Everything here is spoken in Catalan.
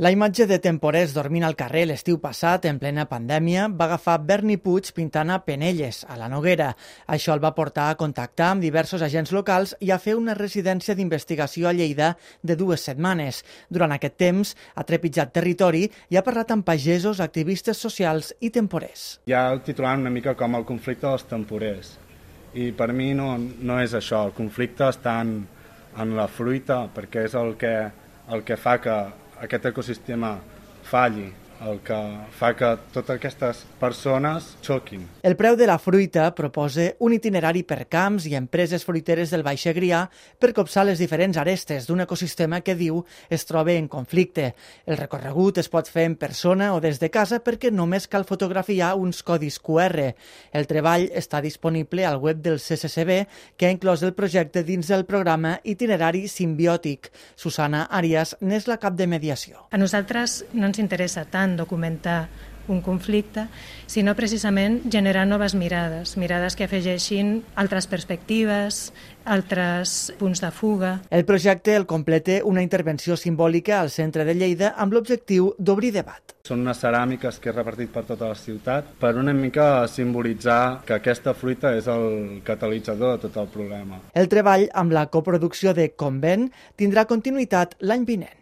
La imatge de temporers dormint al carrer l'estiu passat, en plena pandèmia, va agafar Berni Puig pintant a Penelles, a la Noguera. Això el va portar a contactar amb diversos agents locals i a fer una residència d'investigació a Lleida de 2 setmanes. Durant aquest temps ha trepitjat territori i ha parlat amb pagesos, activistes socials i temporers. Ja el titulant una mica com el conflicte dels temporers. I per mi no és això. El conflicte està en la fruita, perquè és el que fa que aquest ecosistema falli, el que fa que totes aquestes persones xoquin. El preu de la fruita proposa un itinerari per camps i empreses fruiteres del Baix Segrià per copsar les diferents arestes d'un ecosistema que diu es troba en conflicte. El recorregut es pot fer en persona o des de casa perquè només cal fotografiar uns codis QR. El treball està disponible al web del CCCB, que ha inclòs el projecte dins del programa Itinerari Simbiòtic. Susana Arias n'és la cap de mediació. A nosaltres no ens interessa tant documentar un conflicte, sinó precisament generar noves mirades que afegeixin altres perspectives, altres punts de fuga. El projecte el completa una intervenció simbòlica al centre de Lleida amb l'objectiu d'obrir debat. Són unes ceràmiques que he repartit per tota la ciutat per una mica simbolitzar que aquesta fruita és el catalitzador de tot el problema. El treball amb la coproducció de Convent tindrà continuïtat l'any vinent.